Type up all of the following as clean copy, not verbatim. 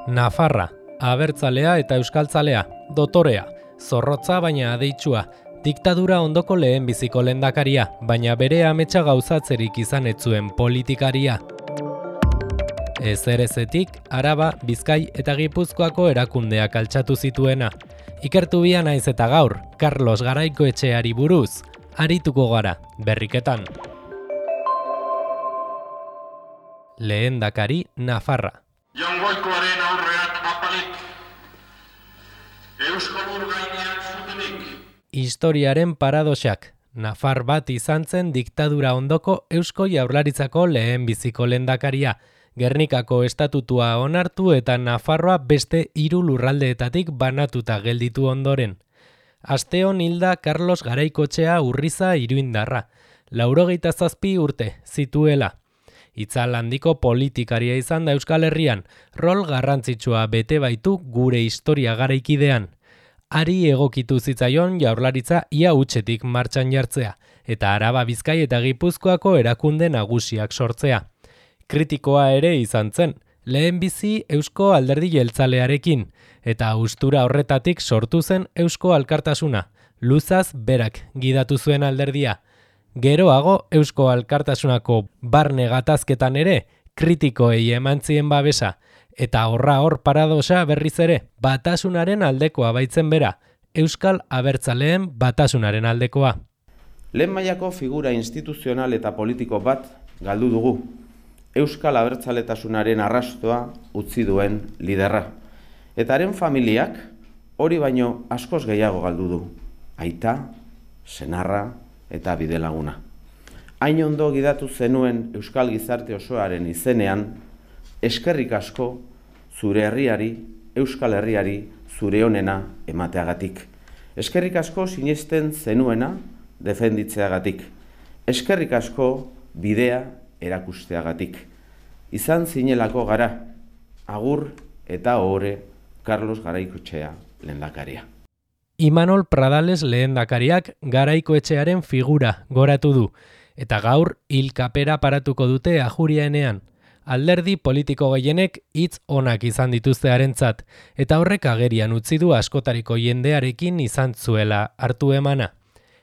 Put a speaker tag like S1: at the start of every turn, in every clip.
S1: Nafarra, abertzalea eta euskaltzalea, dotorea, zorrotza baina adeitsua, diktadura ondoko lehenbiziko lehendakaria, baina bere ametsa gauzatzerik izan ez zuen politikaria. Ezerezetik, Araba, Bizkai eta Gipuzkoako erakundeak altxatu zituena. Ikertu bia naiz eta gaur, Carlos Garaikoetxeari buruz, arituko gara, berriketan. Lehendakari Nafarra.
S2: Jaungoikoaren aurreak apalik, Euskal Urgainean zutenik.
S1: Historiaren paradoxak. Nafar bat izan zen diktadura ondoko Eusko Jaurlaritzako lehenbiziko lehendakaria. Gernikako estatutua onartu eta Nafarroa beste 3 lurraldeetatik banatuta gelditu ondoren. Asteon hilda Carlos Garaikoetxea Urriza iruindarra. 97 urte zituela. Itzal handiko politikaria izan da Euskal Herrian, rol garrantzitsua bete baitu gure historia garaikidean. Ari egokitu zitzaion Jaurlaritza ia hutsetik martxan jartzea, eta Araba, Bizkai eta Gipuzkoako erakunde nagusiak sortzea. Kritikoa ere izan zen, lehenbizi Eusko Alderdi Jeltzalearekin, eta haustura horretatik sortu zen Eusko Alkartasuna, luzaz berak gidatu zuen alderdia. Geroago Eusko Alkartasunako barne gatazketan ere kritikoei eman zien babesa, eta hor paradoxa berriz ere, batasunaren aldekoa baitzen bera, Euskal Abertzaleen batasunaren aldekoa.
S3: Lehen mailako figura instituzional eta politiko bat galdu dugu, Euskal Abertzaletasunaren arrastoa utzi duen liderra. Eta haren familiak hori baino askoz gehiago galdu du, aita, senarra eta bidelaguna. Hain ondo gidatu zenuen Euskal Gizarte osoaren izenean, eskerrik asko zure herriari, Euskal Herriari zure onena emateagatik. Eskerrik asko sinesten zenuena defenditzeagatik. Eskerrik asko bidea erakusteagatik. Izan zinelako gara, agur eta ohore Carlos Garaikoetxea lehendakaria.
S1: Imanol Pradales lehendakariak Garaikoetxearen figura goratu du, eta gaur hilkapera paratuko dute Ajuriaenean. Alderdi politiko gehienek hitz onak izan dituztearentzat, eta horrek agerian utzi du askotariko jendearekin izan zuela hartu emana.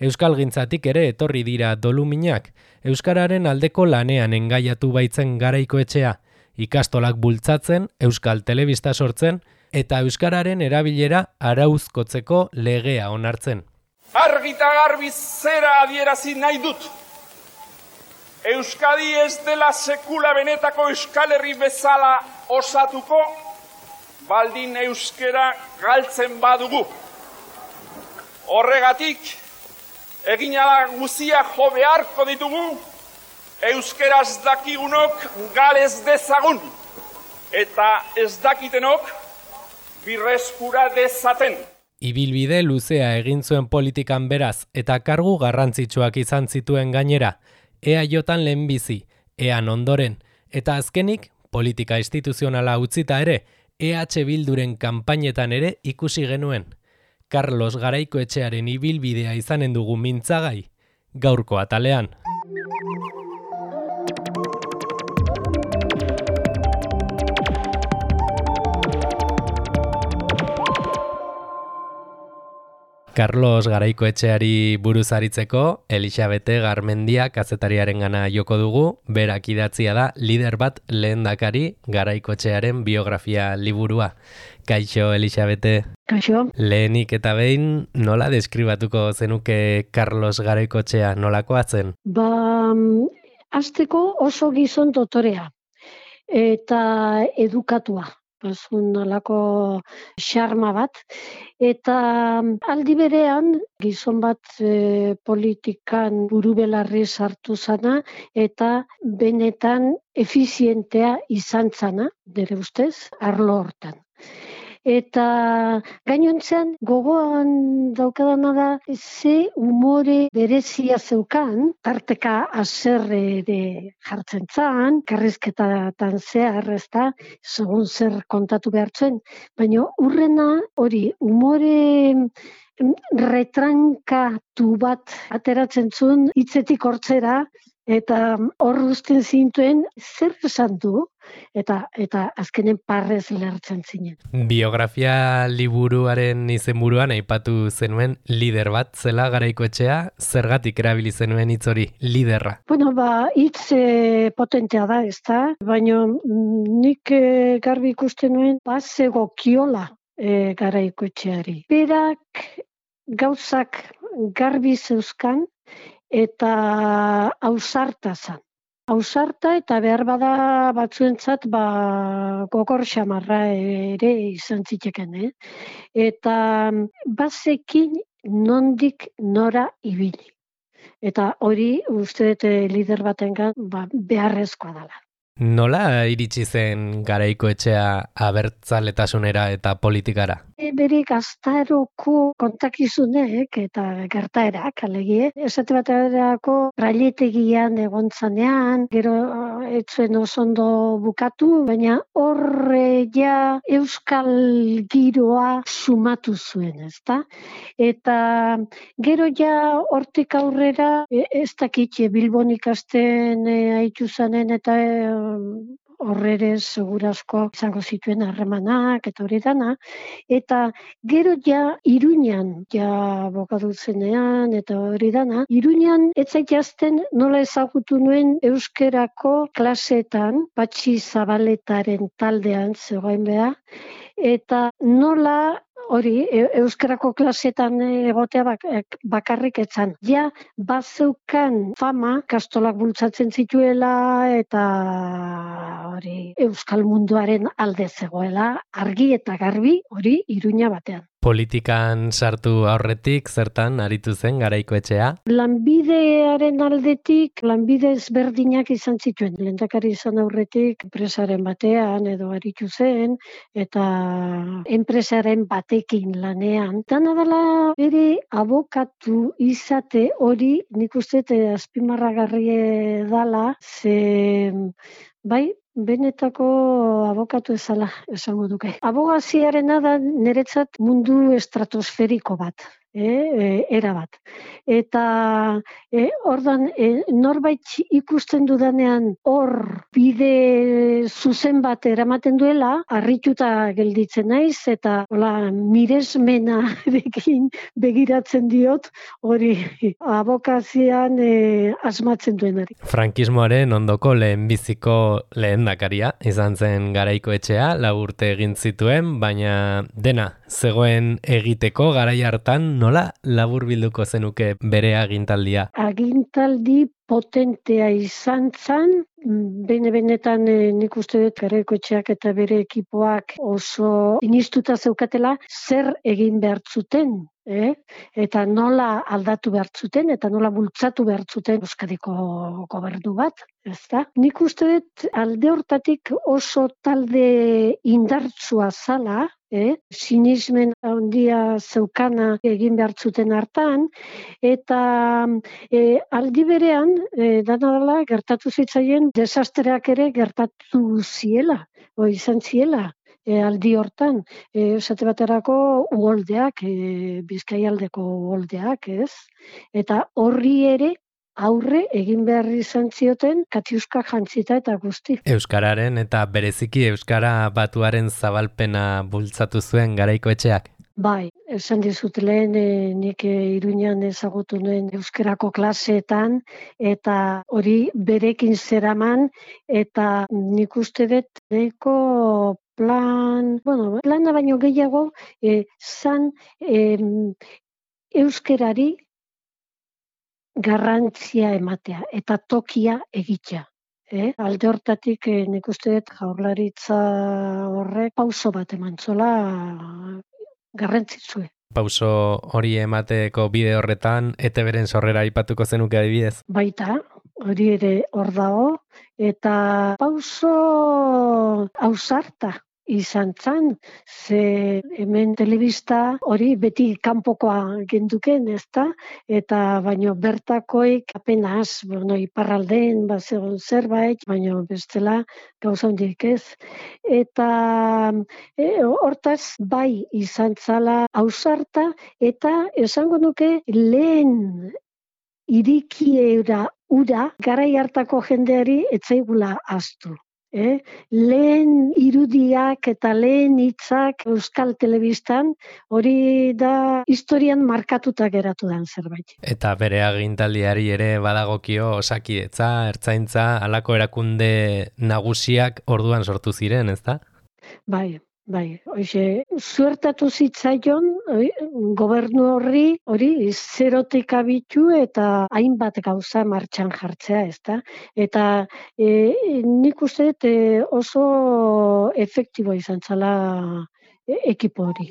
S1: Euskalgintzatik ere etorri dira doluminak, euskararen aldeko lanean engaiatu baitzen Garaikoetxea, ikastolak bultzatzen, euskal telebista sortzen, eta euskararen erabilera arauzkotzeko legea onartzen.
S2: Argita garbi zera adierazi nahi dut. Euskadi ez dela sekula benetako Euskal Herri bezala osatuko, baldin euskera galtzen badugu. Horregatik, eginala guzia jo beharko ditugu, euskeraz dakigunok galez dezagun, eta ez dakitenok birreskura dezaten.
S1: Ibilbide luzea egin zuen politikan beraz eta kargu garrantzitsuak izan zituen gainera, EAJan lehenbizi, EAN ondoren, eta azkenik politika instituzionala utzita ere, EH Bilduren kanpainetan ere ikusi genuen. Carlos Garaikoetxearen ibilbidea izanen dugu mintzagai, gaurko atalean. Carlos Garaikoetxeari buruz aritzeko, Elixabete Garmendia kazetariarengana joko dugu, berak idatzia da lider bat lehendakari Garaikoetxearen biografia liburua. Kaixo, Elixabete.
S4: Kaixo.
S1: Lehenik eta behin nola deskribatuko zenuke Carlos Garaikoetxea nolakoa zen?
S4: Hasteko oso gizon dotorea eta edukatua. Nolako xarma bat, eta aldi berean gizon bat politikan burubelarri sartu zana eta benetan efizientea izan zana, nire ustez, arlo hortan. Eta gainontzean gogoan daukadana da ze umore berezia zeukan, tarteka haserre jartzen zan, karrizketatan zehar, ezta, segun zer kontatu behartzen, baina urrena hori umore retrankatu bat ateratzen zuen hitzetik hortzera, Eta hor uzten zintuen zer esan du, eta azkenen parrez lertzen zinen.
S1: Biografia liburuaren izenburuan aipatu zenuen lider bat zela Garaikoetxea, zergatik erabili zenuen hitz hori, liderra?
S4: Bueno, hitz potentea da, ezta? Baina nik garbi ikusten nuen zegokiola Garaikoetxeari. Berak gauzak garbi zeuzkan, eta ausarta zan. Ausarta eta behar bada batzuentzat gogor xamarra ere izan ziteken, Eta bazekin nondik nora ibili. Eta hori uste dut lider batengan beharrezkoa dela.
S1: Nola iritsi zen Garaikoetxea abertzaletasunera eta politikara?
S4: Bere gaztaroko kontakizunek eta gertaerak, alegie, esate baterako railetegian egon zanean, gero etzuen osondo bukatu, baina horre ja euskal giroa sumatu zuen, ezta? Eta gero ja hortik aurrera, ez dakit Bilbon ikasten haitu zanen eta horrere segurazko izango zituen harremanak eta hori dana, eta gero ja Iruñan abokatu zenean eta hori dana, Iruñan ez zait jazten nola ezagutu nuen euskerako klaseetan, Patxi Zabaletaren taldean zegoen beha, eta nola hori, euskarako klasetan egotea bakarrik etzan. Ja, bazeukan fama, kastolak bultzatzen zituela eta hori euskal munduaren alde zegoela, argi eta garbi hori Iruña batean.
S1: Politikan sartu aurretik, zertan aritu zen Garaikoetxea?
S4: Lanbidearen aldetik, lanbide ezberdinak izan zituen. Lehendakari izan aurretik, enpresaren batean edo aritu zen, eta enpresaren batekin lanean. Dana dela bere abokatu izate hori, nik uste azpimarragarri dala, ze bai, benetako abokatu ezala, esango duke. Abogaziarena da niretzat mundu estratosferiko bat, era bat. Eta ordan norbait ikusten dudanean hor bide zuzen bat eramaten duela, harrituta gelditzen naiz, eta miresmenarekin begiratzen diot hori abokazian asmatzen duenari.
S1: Frankismoaren ondoko lehenbiziko lehendakaria izan zen Garaikoetxea, 4 urte egin zituen, baina dena zegoen egiteko garai hartan nola laburbilduko zenuke bere agintaldia?
S4: Agintaldi potentea izan zen, benetan nik uste dut Garaikoetxeak eta bere ekipoak oso inistuta zeukatela zer egin behar zuten, eta nola aldatu behar zuten, eta nola bultzatu behar zuten Euskadiko gobernu bat, ezta? Nik uste dut alde hortatik oso talde indartsua zala, sinismen handia zeukana egin behar zuten hartan, eta aldi berean, dana dela, gertatu zitzaien, desastreak ere gertatu ziela, izan ziela. Aldi hortan, esate baterako uholdeak, Bizkaialdeko uholdeak, ez? Eta horri ere aurre egin behar izan zioten katiuska jantzita eta guzti.
S1: Euskararen eta bereziki Euskara batuaren zabalpena bultzatu zuen Garaikoetxeak?
S4: Bai, esan dizut lehen nik Iruñan ezagutu nuen euskerako klaseetan, eta hori berekin zeraman, eta nik uste dut nahiko plana baino gehiago, zan euskerari garrantzia ematea eta tokia egitea. Alde hortatik nik uste dut Jaurlaritza horrek pauso bat emantzola garrantzitsue.
S1: Pauso hori emateko bide horretan, ETBren sorrera aipatuko zenuke adibidez?
S4: Baita, hori ere hor dago, eta pauso ausarta izan zan, ze hemen telebista hori beti kanpokoa genduken, ezta? Eta baino bertakoik apenas, iparraldean bazegon zerbait, baino bestela gauza hondik ez. Eta hortaz bai izan zala ausarta, eta esango nuke lehen irikiera ura garai hartako jendeari etzaigula ahaztu. Lehen irudiak eta lehen hitzak Euskal Telebistan hori da historian markatuta geratu den zerbait.
S1: Eta bere agintaldiari ere badagokio Osakidetza, Ertzaintza, halako erakunde nagusiak orduan sortu ziren, ezta?
S4: Bai, hoxe, zuertatu zitzaion gobernu hori zerotik abitu eta hainbat gauza martxan jartzea, ezta? Eta nik uste oso efektibo izan zala ekipo hori.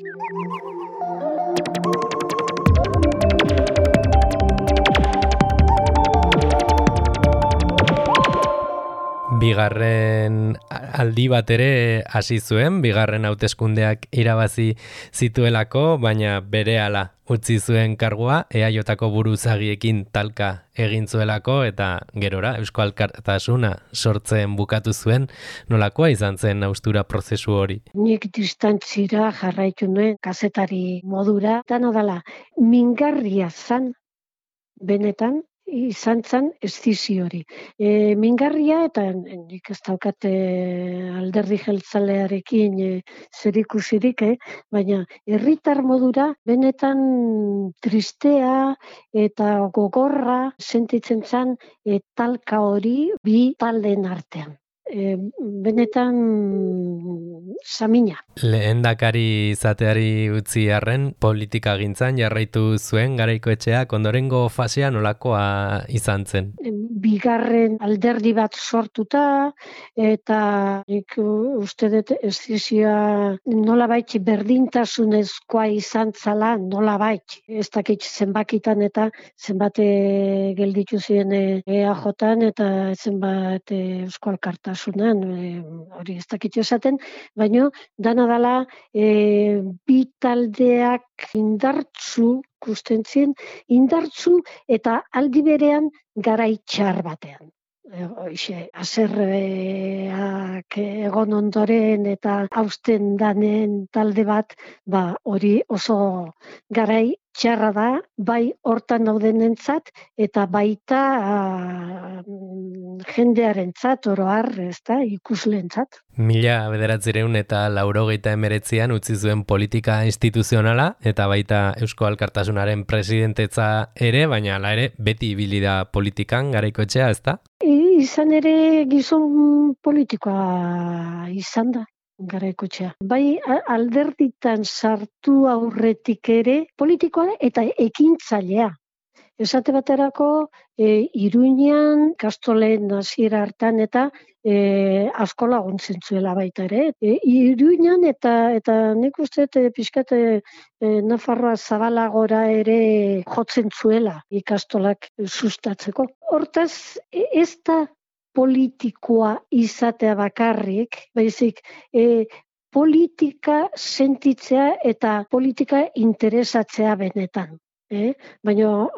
S1: Bigarren aldi bat ere hasi zuen, bigarren hauteskundeak irabazi zituelako, baina berehala utzi zuen kargua, EAJko buruzagiekin talka egin zuelako eta gerora Eusko Alkartasuna sortzen bukatu zuen. Nolakoa izan zen haustura prozesu hori?
S4: Nik distantzira jarraitu nuen kazetari modura, dana dela mingarria zan benetan, izan zen eszizio hori. Mingarria, eta nik ez daukat alderdi jeltzalearekin zerikusirik, baina herritar modura benetan tristea eta gogorra sentitzen zen talka hori bi taldeen artean. Benetan samina.
S1: Lehendakari izateari utzi arren, politika gintzan jarraitu zuen Garaikoetxeak, ondorengo fasea nolakoa izan zen?
S4: Bigarren alderdi bat sortuta, eta nik uste dut eszizioa nolabait berdintasunezkoa izan zala, nolabait. Ez dakit zenbakitan eta zenbat gelditu ziren EAJan eta zenbat Eusko Alkartasunan, hori ez dakit esaten, baina dana dela bi taldeak indartsu, kustentzien, indartsu eta aldi berean garai txar batean. Haserreak egon ondoren eta hausten danen talde bat, hori oso garai txarra da, bai hortan daudenentzat eta baita jendearentzat, oro har, ezta, ikusleentzat.
S1: 1989an utzi zuen politika instituzionala eta baita Eusko Alkartasunaren presidentetza ere, baina hala ere beti ibili da politikan Garaikoetxea, ezta?
S4: Izan ere gizon politikoa izan da Garaikoetxea. Bai alderditan sartu aurretik ere politikoa eta ekintzailea. Esate baterako Iruñan, Kastolen hasiera hartan eta asko laguntzen zuela baita ere. Iruñan eta nik uste pixkat Nafarroa zabalagora ere jotzen zuela ikastolak sustatzeko. Hortaz, ez da politikoa izatea bakarrik, baizik politika sentitzea eta politika interesatzea benetan. Baina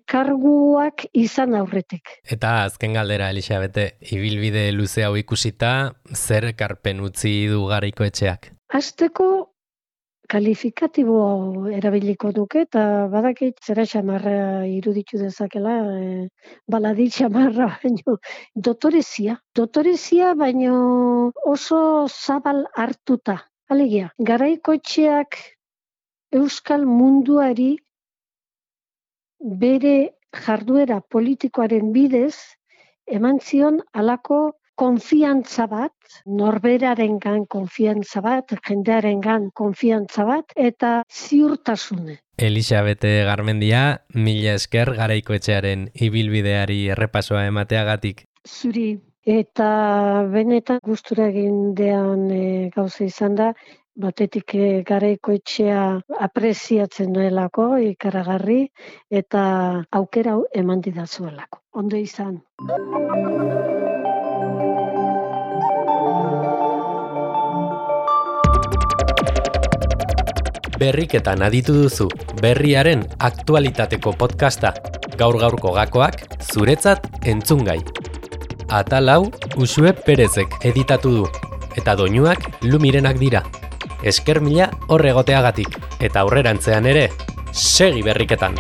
S4: karguak izan aurretik.
S1: Eta azken galdera, Elixabete, ibilbide luze hau ikusita, zer ekarpen utzi du Garaikoetxeak?
S4: Hasteko kalifikatibo erabiliko nuke, eta badakit zera xamarra iruditu dezakela, baladi xamarra, baino dotorezia. Dotorezia, baino oso zabal hartuta. Alegia, Garaikoetxeak euskal munduari bere jarduera politikoaren bidez eman zion halako konfiantza bat, norberarengan konfiantza bat, jendearengan konfiantza bat, eta ziurtasune.
S1: Elixabete Garmendia, mila esker Garaikoetxearen ibilbideari errepasoa emateagatik.
S4: Zuri, eta benetan gustura egindean gauza izan da, batetik Garaikoetxea apreziatzen duelako, ikaragarri, eta aukera hau eman didazuelako. Ondo izan.
S1: Berriketan aditu duzu, berriaren aktualitateko podcasta. Gaur-gaurko gakoak, zuretzat entzungai. Atal hau Uxue Perezek editatu du, eta doinuak Lumirenak dira. Esker mila horregoteagatik, eta aurrerantzean ere, segi berriketan!